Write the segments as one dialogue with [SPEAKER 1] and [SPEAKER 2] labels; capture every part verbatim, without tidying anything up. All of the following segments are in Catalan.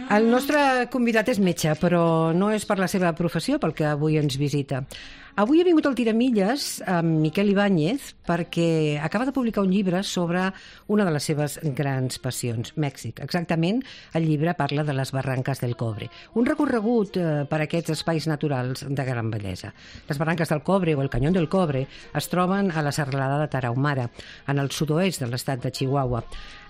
[SPEAKER 1] El nostre convidat és metge, però no és per la seva professió pel que avui ens visita. Avui ha vingut al Tiramilles amb Miquel Ibáñez perquè acaba de publicar un llibre sobre una de les seves grans passions, Mèxic. Exactament, el llibre parla de les Barrancas del Cobre, un recorregut eh, per aquests espais naturals de gran bellesa. Les Barrancas del Cobre o el Canyón del Cobre es troben a la serralada de Tarahumara, en el sud-oest de l'estat de Chihuahua.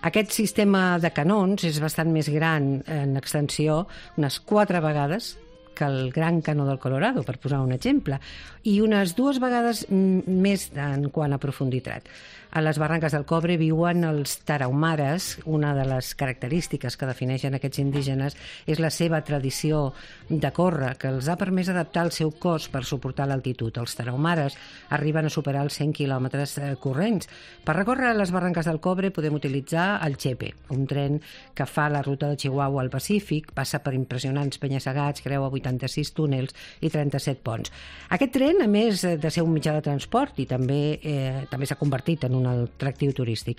[SPEAKER 1] Aquest sistema de canons és bastant més gran en extensió, unes quatre vegades que el Gran Canó del Colorado, per posar un exemple, i unes dues vegades més en quant a profunditat. A les Barrancas del Cobre viuen els tarahumares. Una de les característiques que defineixen aquests indígenes és la seva tradició de córrer, que els ha permès adaptar el seu cos per suportar l'altitud. Els tarahumares arriben a superar els cent quilòmetres corrents. Per recórrer les Barrancas del Cobre podem utilitzar el Chepe, un tren que fa la ruta de Chihuahua al Pacífic, passa per impressionants penya-segats, creua vuitanta-sis túnels i trenta-set ponts. Aquest tren, a més de ser un mitjà de transport, i també eh, també s'ha convertit en un atractiu turístic.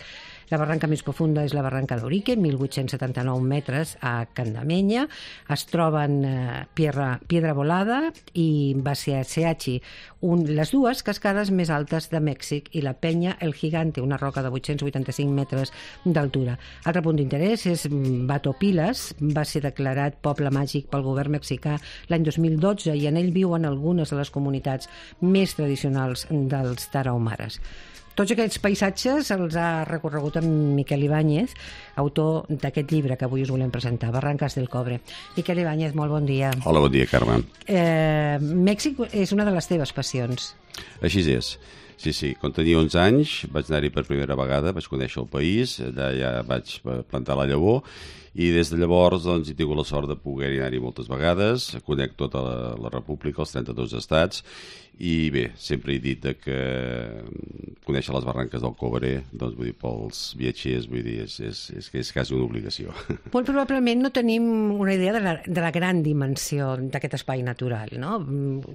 [SPEAKER 1] La barranca més profunda és la barranca d'Aurique, mil vuit-cents setanta-nou metres a Candamenya. Es troben eh, Piedra, Piedra Volada i Baseachi, un, les dues cascades més altes de Mèxic, i la penya El Gigante, una roca de vuit-cents vuitanta-cinc metres d'altura. Altre punt d'interès és Bato Pilas, va ser declarat poble màgic pel govern mexicà l'any dos mil dotze i en ell viuen algunes de les comunitats més tradicionals dels tarahumares. Tots aquests paisatges els ha recorregut amb Miquel Ibáñez, autor d'aquest llibre que avui us volem presentar, Barrancas del Cobre. Miquel Ibáñez, molt bon dia.
[SPEAKER 2] Hola, bon dia, Carme.
[SPEAKER 1] Eh, Mèxic és una de les teves passions.
[SPEAKER 2] Així és. Sí, sí, quan tenia onze anys vaig anar-hi per primera vegada, vaig conèixer el país, allà ja vaig plantar la llavor, i des de llavors doncs, he tingut la sort de poder anar-hi moltes vegades, conec tota la, la república, els trenta-dos estats, i bé, sempre he dit que conèixer les Barranques del Cobre, doncs vull dir, pels viatgers, vull dir, és, és, és, és quasi una obligació.
[SPEAKER 1] Molt probablement no tenim una idea de la, de la gran dimensió d'aquest espai natural, no?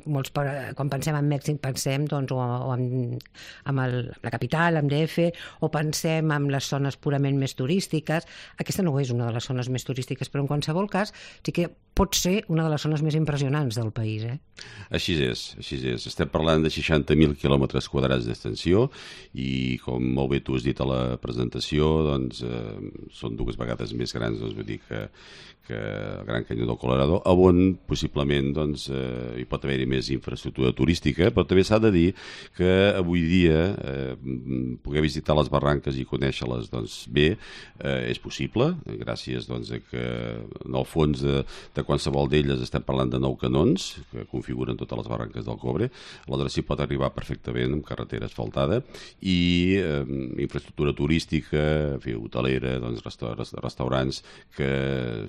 [SPEAKER 1] Molts, quan pensem en Mèxic, pensem doncs, o, o en, en el, la capital, en D F, o pensem en les zones purament més turístiques. Aquesta no és una de les zones més turístiques, però en qualsevol cas sí que pot ser una de les zones més impressionants del país. Eh?
[SPEAKER 2] Així és, així és. Estem parlant de seixanta mil quilòmetres quadrats d'extensió i, com molt bé tu has dit a la presentació, doncs, eh, són dues vegades més grans, doncs, vull dir que, que el Gran Canyó del Colorado, on possiblement doncs, eh, hi pot haver-hi més infraestructura turística, però també s'ha de dir que avui dia eh, poder visitar les barranques i conèixer-les doncs, bé eh, és possible, gràcies doncs, a que en el fons de, de qualsevol d'elles estem parlant de nou canons que configuren totes les barranques del Cobre. Aleshores s'hi pot arribar perfectament amb carretera asfaltada i eh, infraestructura turística, en fi, hotelera, doncs, restaurants, restaurants que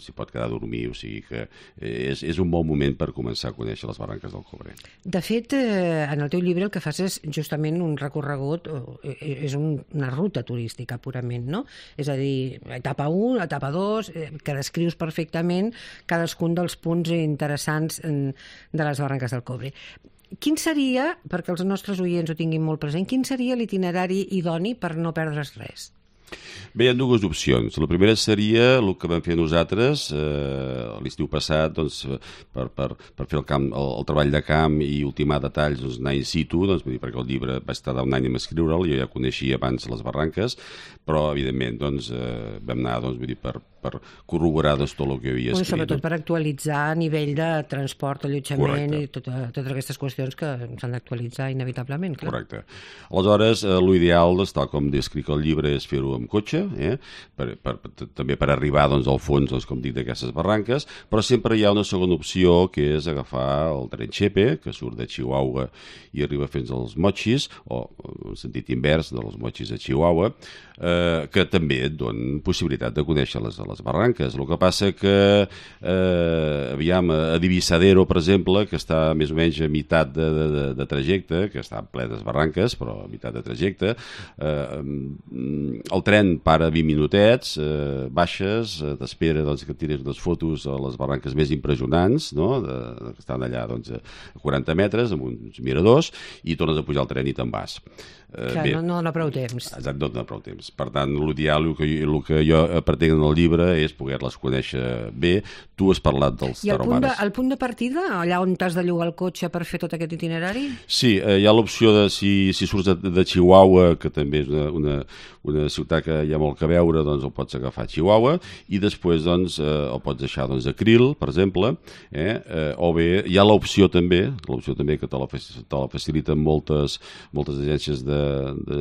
[SPEAKER 2] s'hi pot quedar a dormir, o sigui que és, és un bon moment per començar a conèixer les barranques del Cobre.
[SPEAKER 1] De fet, eh, en el teu llibre el que fas és justament un recorregut, eh, és un, una ruta turística purament, no? És a dir, etapa u, etapa dos, eh, que descrius perfectament cadascun dels punts interessants en, de les Barranques del Cobre. Quin seria, perquè els nostres oients ho tinguin molt present, quin seria l'itinerari idoni per no perdre's res?
[SPEAKER 2] Bé, hi ha dues opcions. La primera seria el que vam fer nosaltres eh, l'estiu passat doncs, per, per, per fer el, camp, el, el treball de camp i ultimar detalls, doncs, anar in situ, doncs, vull dir, perquè el llibre vaig estar un any a escriure'l, jo ja coneixia abans les barranques, però evidentment doncs, eh, vam anar doncs, vull dir, per, per corroborar doncs, tot el que havia escrit.
[SPEAKER 1] Sobretot per actualitzar a nivell de transport, allotjament. Correcte. I tota, totes aquestes qüestions que s'han d'actualitzar inevitablement. Clar.
[SPEAKER 2] Correcte. Aleshores, eh, l'ideal, doncs, tal com descric el llibre, és fer-ho amb cotxe, eh? per, per, per, també per arribar doncs, al fons, doncs, com dic, d'aquestes barranques, però sempre hi ha una segona opció, que és agafar el tren Chepe, que surt de Chihuahua i arriba fins als Mochis, o en sentit invers, de los Mochis a Chihuahua, eh, que també et donen possibilitat de conèixer les, les barranques. El que passa que, eh, aviam, a Divisadero, per exemple, que està més o menys a meitat de, de, de trajecte, que està en plenes barranques, però a meitat de trajecte, eh, el tren para vint minutets, eh, baixes, eh, t'espera doncs, que et tires unes fotos a les barranques més impressionants, no? de, de, que estan allà doncs, a quaranta metres, amb uns miradors, i tornes a pujar al tren i te'n vas.
[SPEAKER 1] Eh, Clar, bé, no, no dona prou temps.
[SPEAKER 2] Exacte, no dona prou temps. Per tant, l'ideal, el que, el que jo pretenc en el llibre és poder-les conèixer bé. Tu has parlat dels
[SPEAKER 1] I el punt, de,
[SPEAKER 2] taromares.
[SPEAKER 1] el punt de partida, allà on t'has de llogar el cotxe per fer tot aquest itinerari?
[SPEAKER 2] Sí, eh, hi ha l'opció de, si, si surts de, de Chihuahua, que també és una, una, una ciutat que hi ha molt que veure, doncs el pots agafar a Chihuahua, i després doncs, eh, el pots deixar doncs, a Krill, per exemple, eh, eh, o bé hi ha l'opció també, l'opció també que te la, te la faciliten moltes, moltes agències de De,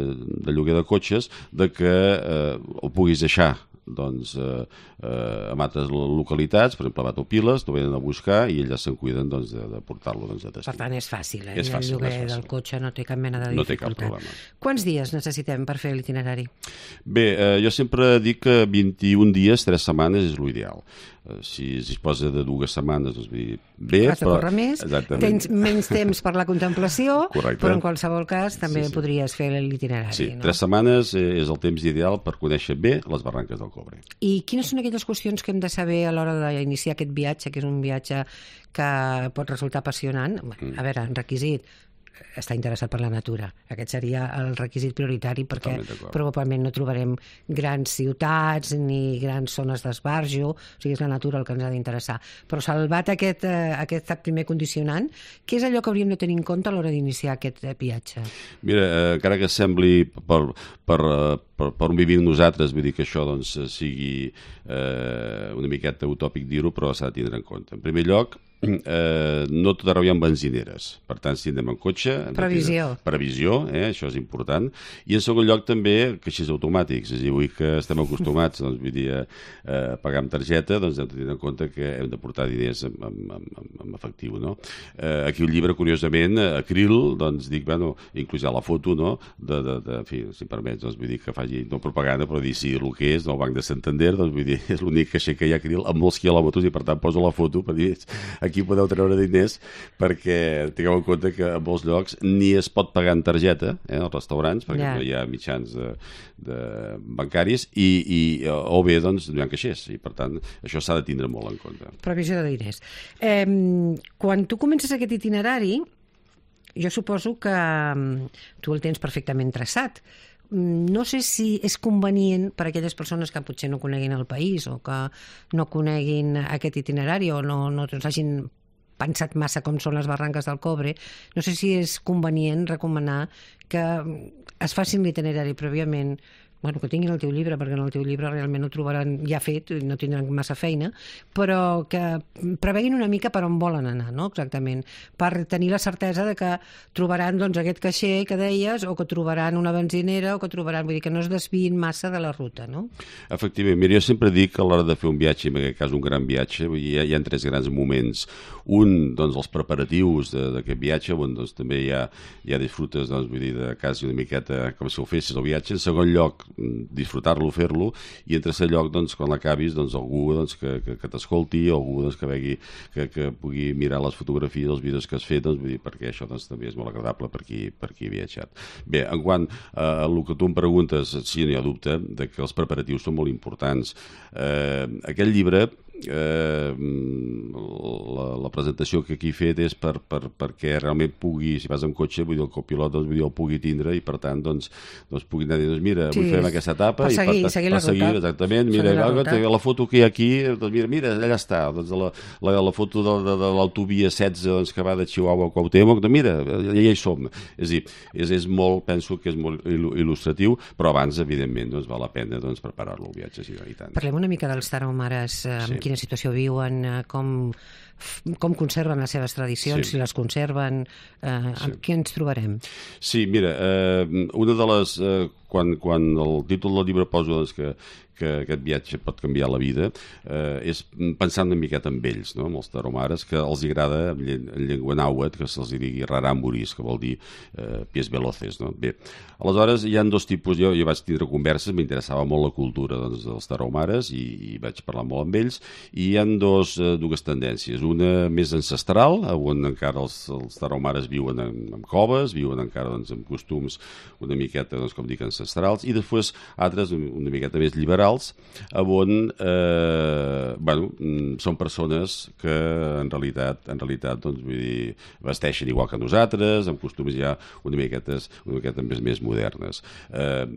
[SPEAKER 2] de lloguer de cotxes, de que eh, el puguis deixar doncs, eh, eh, en altres localitats, per exemple a Batopiles, t'ho venen a buscar i ells ja se'n cuiden doncs, de, de portar-lo doncs, a destí.
[SPEAKER 1] Per tant, és fàcil, eh?
[SPEAKER 2] És fàcil,
[SPEAKER 1] el lloguer
[SPEAKER 2] és fàcil.
[SPEAKER 1] del cotxe no té cap mena de dificultat.
[SPEAKER 2] No té cap problema.
[SPEAKER 1] Quants dies necessitem per fer l'itinerari?
[SPEAKER 2] Bé, eh, jo sempre dic que vint-i-un dies, tres setmanes és l'ideal. Eh, si es disposa de dues setmanes, doncs vull dir, bé,
[SPEAKER 1] has de córrer més, tens menys temps per la contemplació, correcte, però en qualsevol cas també sí, sí. podries fer l'itinerari.
[SPEAKER 2] Sí,
[SPEAKER 1] no?
[SPEAKER 2] Tres setmanes és el temps ideal per conèixer bé les barranques del Cobre.
[SPEAKER 1] I quines són aquelles qüestions que hem de saber a l'hora d'iniciar aquest viatge, que és un viatge que pot resultar apassionant? Mm. A veure, en requisit, estar interessat per la natura. Aquest seria el requisit prioritari perquè probablement no trobarem grans ciutats ni grans zones d'esbarjo, o sigui, és la natura el que ens ha d'interessar. Però salvat aquest, eh, aquest primer condicionant, què és allò que hauríem de tenir en compte a l'hora d'iniciar aquest viatge?
[SPEAKER 2] Mira, eh, encara que sembli per, per, per, per on vivim nosaltres, vull dir que això doncs, sigui eh, una miqueta utòpic dir-ho, però s'ha de tindre en compte. En primer lloc, Eh, no tot arreu hi ha benzineres, per tant si anem en cotxe
[SPEAKER 1] previsió,
[SPEAKER 2] previsió eh, això és important, i en segon lloc també caixers automàtics, és a dir, avui que estem acostumats doncs, vull dir, a pagar amb targeta, doncs hem de tenir en compte que hem de portar diners en, en, en, en efectiu, no? Eh, aquí el llibre, curiosament, a Krill, doncs dic, bueno, inclús hi ha la foto, no?, de, de, de en fi, si em permets, doncs vull dir que faci no propaganda, però dir sí el que és, no, el Banc de Santander, doncs vull dir, és l'únic caixer que hi ha a Krill amb molts quilòmetres i per tant poso la foto per dir, aquí podeu treure diners, perquè tingueu en compte que en molts llocs ni es pot pagar en targeta, eh, als restaurants, perquè yeah. no hi ha mitjans de, de bancaris, i, i, o bé doncs no hi ha caixers, i per tant això s'ha de tindre molt en compte.
[SPEAKER 1] Previsió de diners. Eh, quan tu comences aquest itinerari, jo suposo que tu el tens perfectament traçat. No sé si és convenient per a aquelles persones que potser no coneguin el país o que no coneguin aquest itinerari o no, no hagin pensat massa com són les barranques del Cobre, no sé si és convenient recomanar que es facin l'itinerari prèviament, bueno, que tinguin el teu llibre, perquè en el teu llibre realment ho trobaran ja fet, no tindran massa feina, però que preveguin una mica per on volen anar, no? Exactament, per tenir la certesa de que trobaran doncs, aquest caixer que deies, o que trobaran una benzinera, o que trobaran, vull dir, que no es desviïn massa de la ruta, no?
[SPEAKER 2] Efectivament, mira, jo sempre dic que a l'hora de fer un viatge, en aquest cas un gran viatge, hi ha, hi ha tres grans moments. Un, doncs, els preparatius d'aquest viatge, on doncs, també hi ha, hi ha disfrutes, doncs, vull dir, de quasi una miqueta com si ho fessis el viatge. En segon lloc, disfrutar-lo, fer-lo, i en tercer lloc, doncs, quan l'acabis, doncs, algú doncs, que, que, que t'escolti, algú doncs, que, vegi, que, que pugui mirar les fotografies, els vídeos que has fet, doncs, vull dir, perquè això doncs, també és molt agradable per qui, per qui ha viatjat. Bé, en quant a el que tu em preguntes, sí, no hi ha dubte de que els preparatius són molt importants. Eh, aquest llibre, eh, la, la presentació que aquí he fet és per, per, perquè realment pugui, si vas amb cotxe, vull dir, el copilot doncs, vull dir, el pugui tindre i per tant doncs, doncs pugui anar dient, doncs, mira, sí, vull fer aquesta etapa
[SPEAKER 1] per seguir,
[SPEAKER 2] i per,
[SPEAKER 1] seguir
[SPEAKER 2] per
[SPEAKER 1] la
[SPEAKER 2] seguir,
[SPEAKER 1] ruta.
[SPEAKER 2] Exactament, mira, la, la, la foto que hi ha aquí, doncs mira, mira, allà està, doncs la, la, la foto de, de, de l'autovia setze doncs, que va de Chihuahua a Cuauhtémoc, doncs mira, ja hi som. És a dir, és, és molt, penso que és molt il·lustratiu, però abans, evidentment, doncs, val la pena doncs, preparar-lo el viatge, sí, i tant.
[SPEAKER 1] Parlem una mica dels tarahumares, eh,
[SPEAKER 2] sí.
[SPEAKER 1] en quina situació viuen, eh, com, com conserven les seves tradicions, sí. si les conserven, eh, amb sí. què ens trobarem?
[SPEAKER 2] Sí, mira, eh, una de les... Eh, quan, quan el títol del llibre posa doncs, que que aquest viatge pot canviar la vida, eh, és pensant una miqueta en ells, no? Amb els tarahumares, que els agrada en, lle en llengua nàhuatl, que se'ls digui rarámuris, que vol dir eh, pies veloces, no? Bé, aleshores hi ha dos tipus, jo, jo vaig tindre converses, m'interessava molt la cultura doncs, dels tarahumares i, i vaig parlar molt amb ells, i hi ha dos, eh, dues tendències, una més ancestral, on encara els, els tarahumares viuen en, en coves, viuen encara doncs, amb costums una miqueta, doncs, com dic, ancestrals, ancestrals, i després altres una miqueta més liberals, on eh, bueno, són persones que en realitat, en realitat doncs, vull dir, vesteixen igual que nosaltres, amb costums ja una miqueta, una miqueta més, més modernes. Eh,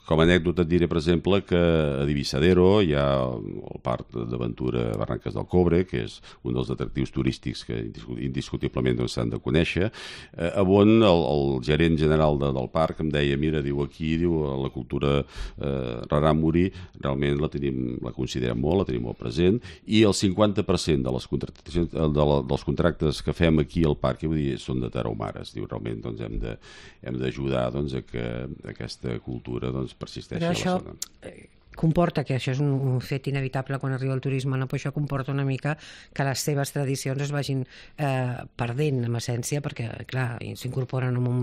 [SPEAKER 2] Com a anècdota et diré, per exemple, que a Divisadero hi ha el parc d'aventura Barranques del Cobre, que és un dels atractius turístics que indiscutiblement doncs, s'han de conèixer, eh, on el, el gerent general de, del parc em deia, mira, diu, aquí diu, la cultura eh, rarámuri realment la, tenim, la considerem molt, la tenim molt present, i el cinquanta per cent de les contractacions, de la, dels contractes que fem aquí al parc, vull dir, són de tarahumares. Diu, realment doncs, hem de, hem d'ajudar doncs, a que aquesta cultura doncs, persisteixi a la
[SPEAKER 1] això,
[SPEAKER 2] zona.
[SPEAKER 1] Comporta que això és un, un fet inevitable quan arriba el turisme, no? Però això comporta una mica que les seves tradicions es vagin eh, perdent en essència, perquè clar, s'incorporen amb un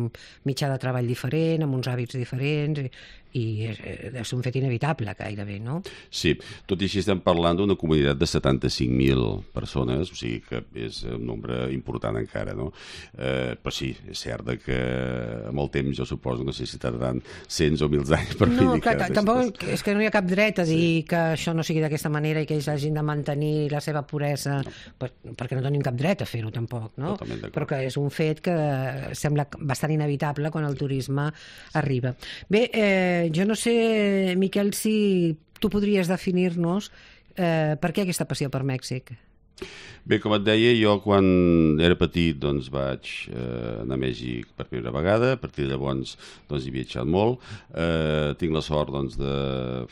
[SPEAKER 1] mitjà de treball diferent, amb uns hàbits diferents, i, i és, és un fet inevitable gairebé, no?
[SPEAKER 2] Sí, tot i així estem parlant d'una comunitat de setanta-cinc mil persones, o sigui que és un nombre important encara, no? Eh, però sí, és cert que amb el temps jo suposo no sé si tardaran cents o mils anys per
[SPEAKER 1] no,
[SPEAKER 2] dir
[SPEAKER 1] clar,
[SPEAKER 2] que...
[SPEAKER 1] tampoc és que no hi ha cap dret a dir sí. que això no sigui d'aquesta manera i que ells hagin de mantenir la seva puresa, no. perquè no tenim cap dret a fer-ho tampoc, no? Però que és un fet que sembla bastant inevitable quan el turisme arriba. Bé, eh, jo no sé, Miquel, si tu podries definir-nos eh, per què aquesta passió per Mèxic.
[SPEAKER 2] Bé, com et deia, jo quan era petit doncs vaig eh, anar a Mèxic per primera vegada, a partir de llavors doncs, he viatjat molt. Eh, tinc la sort doncs, de...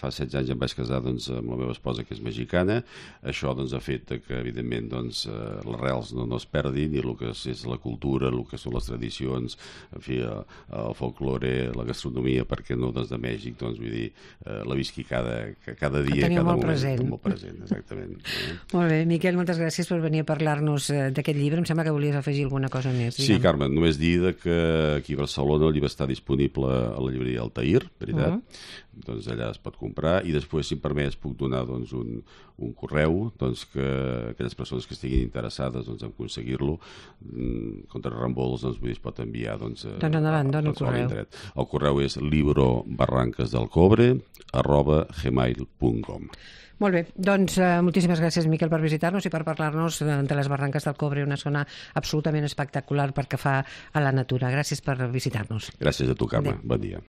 [SPEAKER 2] fa setze anys em vaig casar doncs, amb la meva esposa, que és mexicana. Això doncs, ha fet que, evidentment, doncs, eh, les rels no, no es perdin, i el que és la cultura, el que són les tradicions, en fi, el, el folklore, la gastronomia, per què no, doncs, de Mèxic, doncs, vull dir, eh, la visqui cada, cada dia, cada
[SPEAKER 1] molt
[SPEAKER 2] moment.
[SPEAKER 1] Present.
[SPEAKER 2] Molt present, exactament.
[SPEAKER 1] Molt bé, Miquel, moltes gràcies per venir a parlar-nos d'aquest llibre. Em sembla que volies afegir alguna cosa més.
[SPEAKER 2] Sí, digue'm. Carme, només dir que aquí a Barcelona el llibre està disponible a la llibreria Altair, veritat? Uh -huh. Doncs allà es pot comprar, i després, si em permets, puc donar doncs, un, un correu doncs, que aquelles persones que estiguin interessades doncs, en aconseguir-lo contra reembols doncs, es pot enviar doncs, a,
[SPEAKER 1] doncs endavant, dona el
[SPEAKER 2] doncs,
[SPEAKER 1] correu.
[SPEAKER 2] El correu és librobarrancasdelcobre arroba gmail punt com.
[SPEAKER 1] Molt bé, doncs eh, moltíssimes gràcies, Miquel, per visitar-nos i per parlar-nos de les Barranques del Cobre, una zona absolutament espectacular pel que fa a la natura. Gràcies per visitar-nos.
[SPEAKER 2] Gràcies a tu, Carme. Bon dia.